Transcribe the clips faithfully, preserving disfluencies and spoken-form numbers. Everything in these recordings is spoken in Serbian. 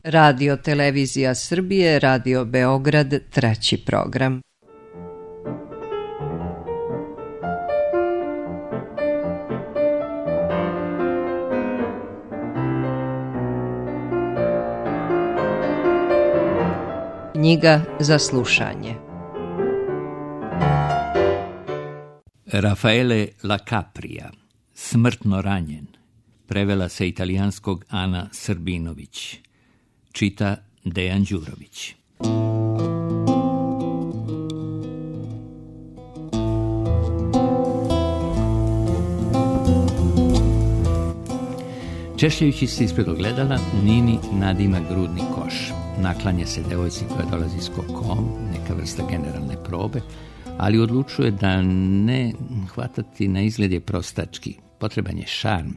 Radio Televizija Srbije, Radio Beograd, treći program. Knjiga za slušanje. Raffaele La Capria, Smrtno ranjen, prevela sa italijanskog Ana Srbinović, čita Dejan Đurović. Češljajući se ispred ogledala, Nini nadima grudni koš. Naklanja se devojci koja dolazi s kokom, neka vrsta generalne probe, ali odlučuje da ne hvatati na izgled je prostački. Potreban je šarm.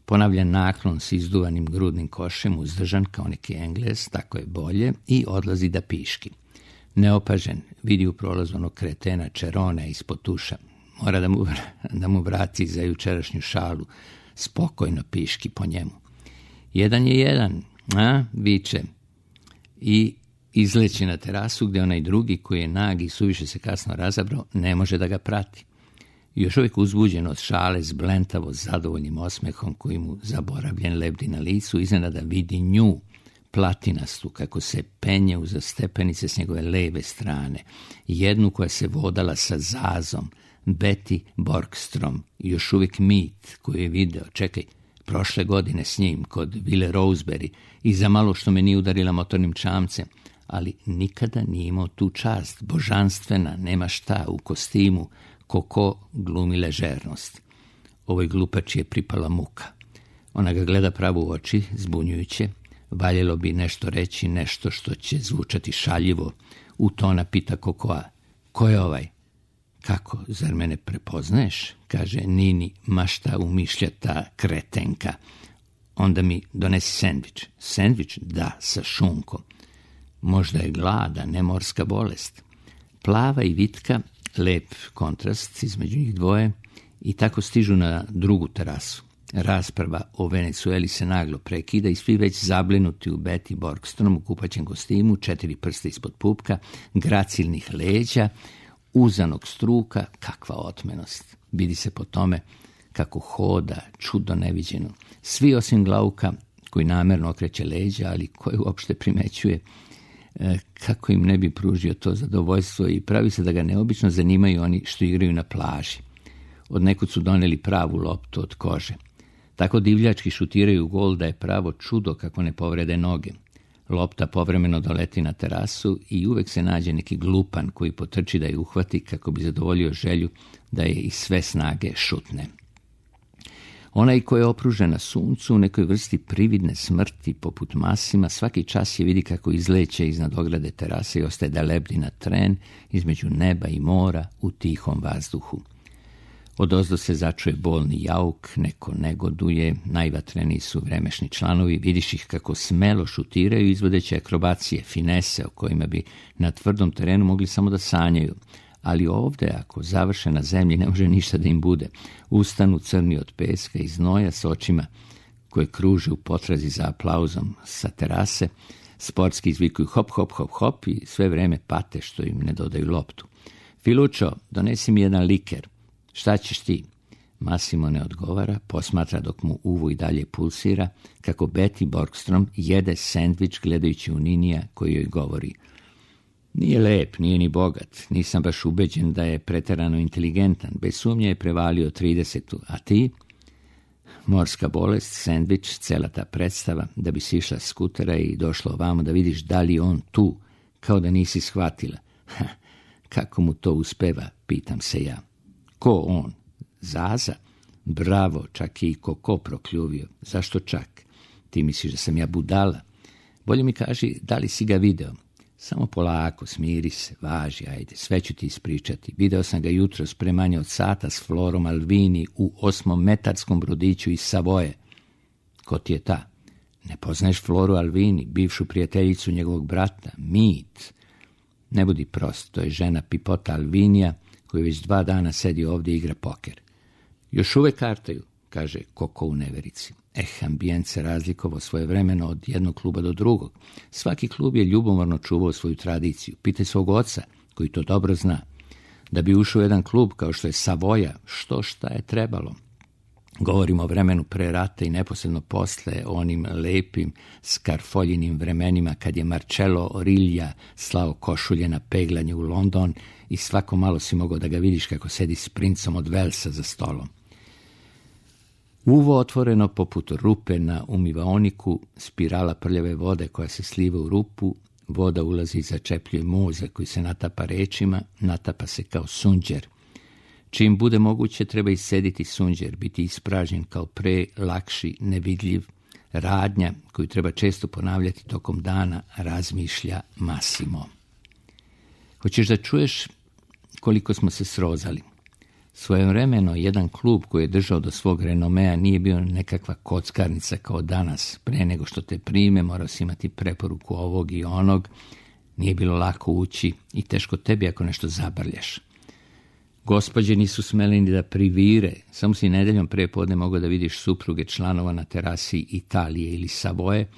Ponavlja naklon s izduvanim grudnim košem, uzdržan kao neki Englez, tako je bolje, i odlazi da piški. Neopažen, vidi u prolazu onog kretena Čerona ispod tuša. Mora da mu, da mu vrati za jučerašnju šalu. Spokojno piški po njemu. Jedan je jedan, a, viče. I izleći na terasu gdje onaj drugi koji je nag i suviše se kasno razabrao ne može da ga prati. Još uvijek uzbuđen od šale s blentavo zadovoljnim osmehom koji mu zaboravljen lebdi na licu, iznenada vidi nju, platinastu, kako se penje uza stepenice s njegove leve strane, jednu koja se vodala sa Zazom, Betty Borgstrom, još uvijek mit koju je video, čekaj, prošle godine s njim kod Ville Roseberry i za malo što me nije udarila motornim čamcem, ali nikada nije imao tu čast, božanstvena, nema šta, u kostimu, Koko glumi ležernost. Ovoj glupači je pripala muka. Ona ga gleda pravo u oči, zbunjujuće, valjelo bi nešto reći, nešto što će zvučati šaljivo. U tona pita Kokoa, ko je ovaj? Kako, zar mene prepoznaješ? Kaže Nini, mašta umišlja ta kretenka. Onda mi donesi sendvič. Sendvič? Da, sa šunkom. Možda je glada, ne morska bolest. Plava i vitka, lep kontrast između njih dvoje, i tako stižu na drugu terasu. Rasprava o Venecueli se naglo prekida i svi već zablinuti u Betty Borgstrom u kupaćem kostimu, četiri prsta ispod pupka, gracilnih leđa, uzanog struka, kakva otmenost. Vidi se po tome kako hoda, čudo neviđeno. Svi osim Glauka, koji namerno okreće leđa, ali koji uopšte primećuje e, kako im ne bi pružio to zadovoljstvo, i pravi se da ga neobično zanimaju oni što igraju na plaži. Od nekud su doneli pravu loptu od kože. Tako divljački šutiraju gol da je pravo čudo kako ne povrede noge. Lopta povremeno doleti na terasu i uvek se nađe neki glupan koji potrči da je uhvati kako bi zadovoljio želju da je iz sve snage šutne. Onaj ko je opružen na suncu u nekoj vrsti prividne smrti poput Masima, svaki čas je vidi kako izleće iznad ograde terase i ostaje da lebdi na tren između neba i mora u tihom vazduhu. Odozdo se začuje bolni jauk, neko negoduje, najvatreniji su vremešni članovi, vidiš ih kako smelo šutiraju izvodeće akrobacije, finese o kojima bi na tvrdom terenu mogli samo da sanjaju. Ali ovde, ako završe na zemlji, ne može ništa da im bude. Ustanu crni od peska i znoja s očima koje kruže u potrazi za aplauzom sa terase, sportski izvikuju hop, hop, hop, hop i sve vreme pate što im ne dodaju loptu. Filučo, donesi mi jedan liker. Šta ćeš ti? Massimo ne odgovara, posmatra dok mu uvo i dalje pulsira, kako Betty Borgstrom jede sendvič gledajući u Ninija koji joj govori. Nije lep, nije ni bogat, nisam baš ubeđen da je preterano inteligentan, bez sumnje je prevalio tridesetu, a ti? Morska bolest, sendvič, cela ta predstava, da bi si išla s skutera i došla ovamo da vidiš da li on tu, kao da nisi shvatila. Ha, kako mu to uspeva, pitam se ja. Ko on? Zaza? Bravo, čak je i Koko prokljuvio. Zašto čak? Ti misliš da sam ja budala? Bolje mi kaži, da li si ga video? Samo polako, smiri se, važi, ajde, sve ću ti ispričati. Video sam ga jutros pre manje od sata s Florom Alvini u osmometarskom brodiću iz Savoje. Ko ti je ta? Ne poznaješ Floru Alvini, bivšu prijateljicu njegovog brata? Mit. Ne budi prost, to je žena Pipota Alvinija, koji već dva dana sedi ovdje i igra poker. Još uvek kartaju, kaže Koko u neverici. Eh, ambijent se razlikovao svojevremeno od jednog kluba do drugog. Svaki klub je ljubomorno čuvao svoju tradiciju. Pitaj svog oca, koji to dobro zna. Da bi ušao u jedan klub kao što je Savoja, što šta je trebalo. Govorimo o vremenu pre rata i neposredno posle, o onim lepim skarfoljinim vremenima kad je Marcello Orilja slao košulje na peglanje u London i svako malo si mogao da ga vidiš kako sedi s princom od Velsa za stolom. Uvo otvoreno poput rupe na umivaoniku, spirala prljave vode koja se sliva u rupu, voda ulazi i začepljuje mozak koji se natapa rečima, natapa se kao sunđer. Čim bude moguće treba iscediti sunđer, biti ispražnjen kao pre, lakši, nevidljiv, radnja koju treba često ponavljati tokom dana, razmišlja Massimo. Hoćeš da čuješ koliko smo se srozali? Svojevremeno jedan klub koji je držao do svog renomea nije bio nekakva kockarnica kao danas. Pre nego što te prime morao si imati preporuku ovog i onog. Nije bilo lako ući i teško tebi ako nešto zabrljaš. Gospođe nisu smele ni da privire, samo si nedeljom pre podne mogao da vidiš supruge članova na terasi Italije ili Savoje,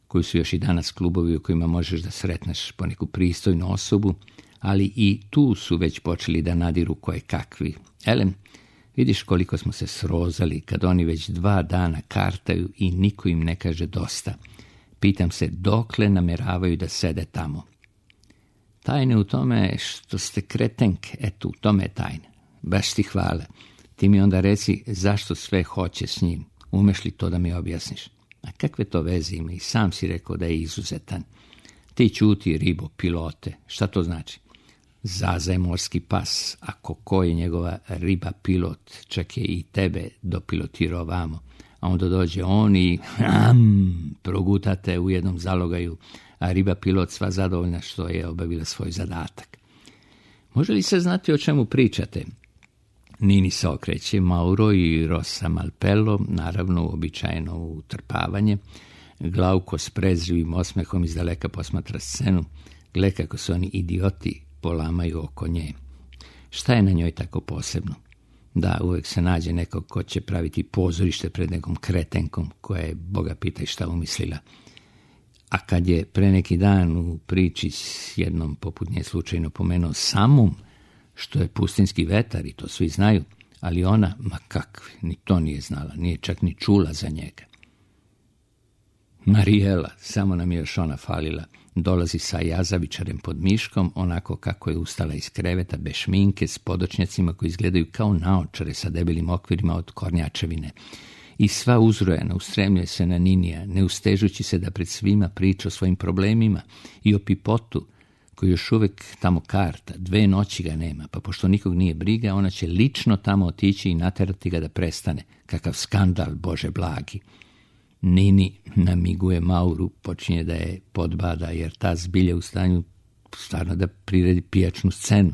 koji su još i danas klubovi u kojima možeš da sretneš po neku pristojnu osobu, ali i tu su već počeli da nadiru koje kakvi. Elem, vidiš koliko smo se srozali kad oni već dva dana kartaju i niko im ne kaže dosta. Pitam se dokle nameravaju da sede tamo. Tajne u tome što ste kretenke, eto, u tome je tajne. Baš ti hvala. Ti mi onda reci zašto sve hoće s njim. Umeš li to da mi objasniš? A kakve to veze ima? I sam si rekao da je izuzetan. Ti ćuti, ribo, pilote. Šta to znači? Zaza je morski pas, a Koko je njegova riba pilot, čak je i tebe dopilotirao vamo. A onda dođe on i am, progutate u jednom zalogaju, a riba pilot sva zadovoljna što je obavila svoj zadatak. Može li se znati o čemu pričate? Nini se okreće, Mauro i Rosa Malpello, naravno uobičajeno utrpavanje. Glauko s prezrivim osmehom iz daleka posmatra scenu. Gle kako su oni idioti polamaju oko nje. Šta je na njoj tako posebno? Da, uvek se nađe nekog ko će praviti pozorište pred nekom kretenkom koja je, Boga pitaj šta umislila. A kad je pre neki dan u priči s jednom poput nje slučajno pomenuo samum, što je pustinski vetar i to svi znaju, ali ona, ma kakvi, ni to nije znala, nije čak ni čula za njega. Marijela, samo nam je još ona falila, dolazi sa jazavičarem pod miškom, onako kako je ustala iz kreveta, bez šminke, s podočnjacima koji izgledaju kao naočare sa debelim okvirima od kornjačevine. I sva uzrojena ustremljuje se na Ninija, ne ustežući se da pred svima priča o svojim problemima i o Pipotu, koji još uvek tamo karta, dve noći ga nema, pa pošto nikog nije briga, ona će lično tamo otići i naterati ga da prestane. Kakav skandal, Bože blagi. Nini namiguje Mauru, počinje da je podbada, jer ta zbilja u stanju stvarno da priredi pijačnu scenu.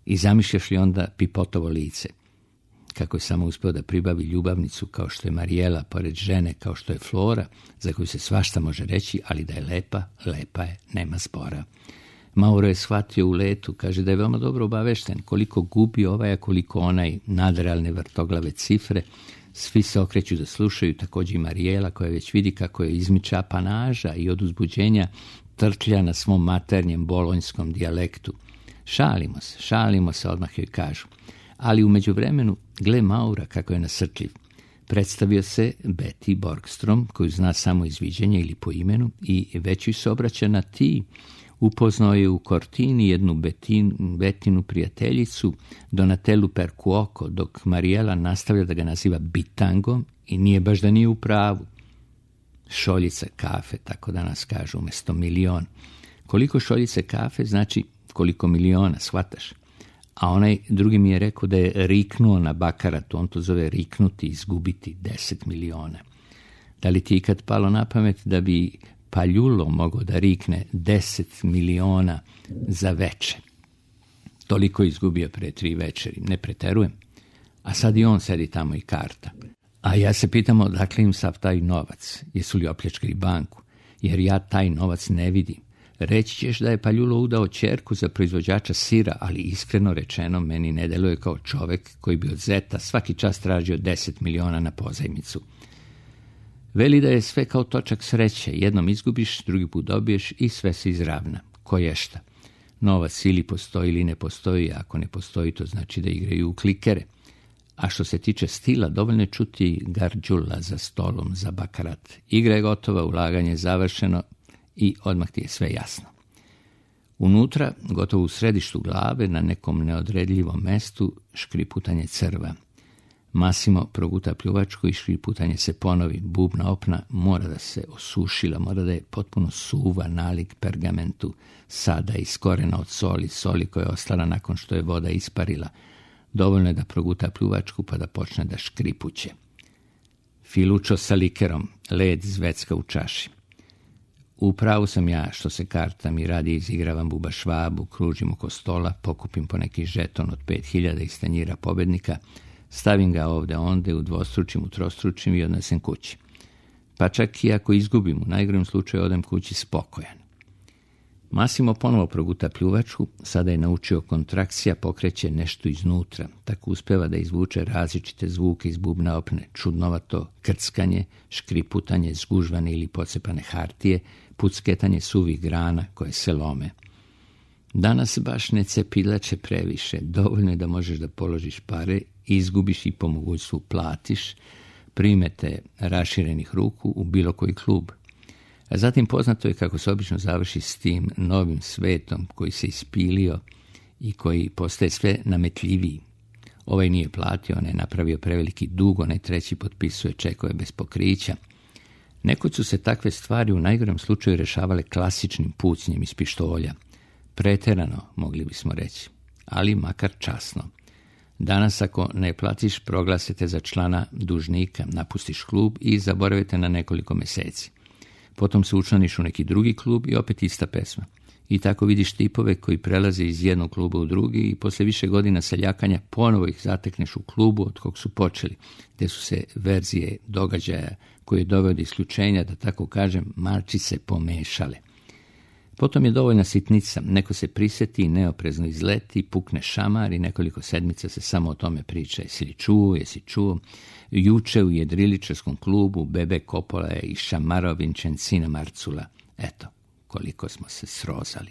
I zamišljaš li onda Pipotovo lice? Kako je samo uspeo da pribavi ljubavnicu kao što je Marijela, pored žene kao što je Flora, za koju se svašta može reći, ali da je lepa, lepa je, nema zbora. Mauro je shvatio u letu, kaže da je veoma dobro obavešten, koliko gubi ovaj, a koliko onaj, nadrealne vrtoglave cifre. Svi se okreću da slušaju, također i Marijela koja već vidi kako je izmiča apanaža i od uzbuđenja trtlja na svom maternjem bolonjskom dijalektu. Šalimo se, šalimo se, odmah joj kažu. Ali u međuvremenu, gle Maura kako je nasrtljiv. Predstavio se Betty Borgstrom, koju zna samo iz viđenja ili po imenu, i već joj se obraća na ti. Upoznao je u Cortini jednu Betin, Betinu prijateljicu, Donatellu Percuoco, dok Marijela nastavlja da ga naziva Bitangom i nije baš da nije u pravu. Šoljica kafe, tako da nas kažu, umjesto milion. Koliko šoljice kafe znači koliko miliona, shvataš? A onaj drugi mi je rekao da je riknuo na bakaratu, on to zove riknuti, izgubiti deset miliona. Da li ti ikad palo na pamet da bi Paljulo mogao da rikne deset miliona za veče? Toliko je izgubio pre tri večeri, ne preterujem. A sad i on sedi tamo i karta. A ja se pitam odakle im sav taj novac, jesu li opljačkali banku, jer ja taj novac ne vidim. Reći ćeš da je Paljulo udao ćerku za proizvođača sira, ali iskreno rečeno meni ne deluje kao čovek koji bi od zeta svaki čas tražio deset miliona na pozajmicu. Veli da je sve kao točak sreće, jednom izgubiš, drugi put dobiješ i sve se izravna. Ko je šta? Novac ili postoji ili ne postoji, ako ne postoji to znači da igraju u klikere. A što se tiče stila, dovoljno je čuti garđula za stolom za bakarat. Igra je gotova, ulaganje je završeno i odmah ti je sve jasno. Unutra, gotovo u središtu glave, na nekom neodredljivom mestu, škriputanje crva. Massimo proguta pljuvačku i škriputanje se ponovi. Bubna opna mora da se osušila, mora da je potpuno suva, nalik pergamentu, sada iskorena od soli, soli koja je ostala nakon što je voda isparila. Dovoljno je da proguta pljuvačku pa da počne da škripuće. Filučo sa likerom, led zvecka u čaši. U pravu sam ja što se karta mi radi, izigravam buba švabu, kružim oko stola, pokupim po neki žeton od pet hiljada iz tanjira pobednika, stavim ga ovde onde, udvostručim, utrostručim i odnesem kući. Pa čak i ako izgubim, u najgorem slučaju odem kući spokojan. Massimo ponovo proguta pljuvačku, sada je naučio kontrakcija, pokreće nešto iznutra, tako uspeva da izvuče različite zvuke iz bubna opne, čudnovato krckanje, škriputanje, zgužvane ili pocepane hartije, pucketanje suvih grana koje se lome. Danas baš ne cepilače previše, dovoljno je da možeš da položiš pare, izgubiš i po mogućstvu platiš, primete raširenih ruku u bilo koji klub. A zatim poznato je kako se obično završi s tim novim svetom koji se ispilio i koji postaje sve nametljiviji. Ovaj nije platio, on je napravio preveliki dug, onaj treći potpisuje čekove bez pokrića. Nekoć su se takve stvari u najgorem slučaju rešavale klasičnim pucnjem iz pištolja. Preterano, mogli bismo reći, ali makar časno. Danas ako ne platiš, proglasite za člana dužnika, napustiš klub i zaboravite na nekoliko meseci. Potom se učlaniš u neki drugi klub i opet ista pesma. I tako vidiš tipove koji prelaze iz jednog kluba u drugi i posle više godina seljakanja ponovo ih zatekneš u klubu od kog su počeli, gde su se verzije događaja koje je doveo do isključenja, da tako kažem, malčice pomešale. Potom je dovoljna sitnica, neko se priseti, neoprezno izleti, pukne šamar i nekoliko sedmica se samo o tome priča. Jesi li čuo, jesi čuo? Juče u jedriličarskom klubu Bebe Kopola je i šamarao Vinčencina Marcula. Eto, koliko smo se srozali.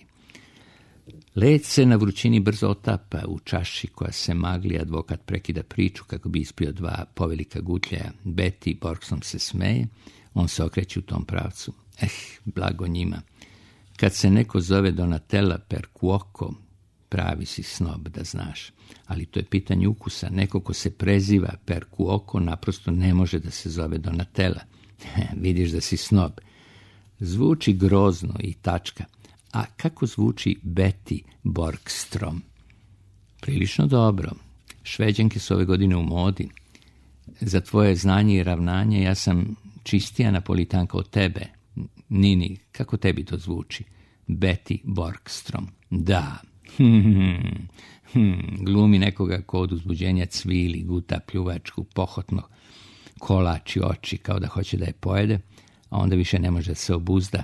Led se na vrućini brzo otapa, u čaši koja se magli, advokat prekida priču kako bi ispio dva povelika gutljaja. Betty Borgsom se smeje, on se okreće u tom pravcu. Eh, blago njima. Kad se neko zove Donatella Percuoco, pravi si snob, da znaš. Ali to je pitanje ukusa. Neko ko se preziva Percuoco naprosto ne može da se zove Donatella. Vidiš da si snob. Zvuči grozno i tačka. A kako zvuči Betty Borgstrom? Prilično dobro. Šveđanke su ove godine u modi. Za tvoje znanje i ravnanje ja sam čistija napolitanka od tebe. Nini, kako tebi to zvuči? Betty Borgstrom. Da. Hmm, hmm, glumi nekoga ko od uzbuđenja cvili, guta pljuvačku, pohotno kolači oči kao da hoće da je pojede, a onda više ne može da se obuzda.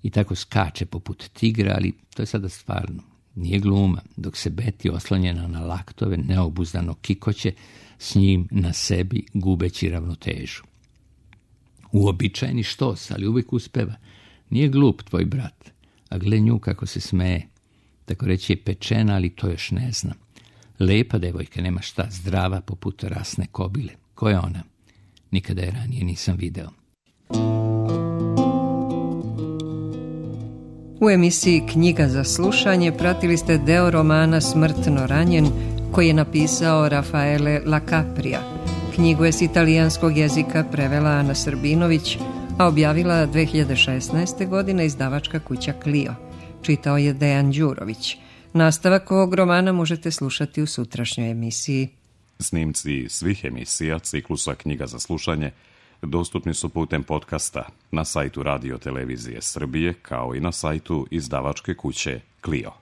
I tako skače poput tigra, ali to je sada stvarno. Nije gluma, dok se Betty oslonjena na laktove neobuzdano kikoće s njim na sebi gubeći ravnotežu. Uobičajeni štos, ali uvijek uspeva. Nije glup tvoj brat, a gle nju kako se smeje. Tako reći je pečena, ali to još ne znam. Lepa devojka, nema šta, zdrava poput rasne kobile. Ko je ona? Nikada je ranije nisam video. U emisiji Knjiga za slušanje pratili ste deo romana Smrtno ranjen koji je napisao Rafaele Lacaprija. Knjigu je s italijanskog jezika prevela Ana Srbinović, a objavila dve hiljade šesnaeste. godine izdavačka kuća Clio. Čitao je Dejan Đurović. Nastavak ovog romana možete slušati u sutrašnjoj emisiji. Snimci svih emisija ciklusa Knjiga za slušanje dostupni su putem podcasta na sajtu Radio Televizije Srbije kao i na sajtu izdavačke kuće Clio.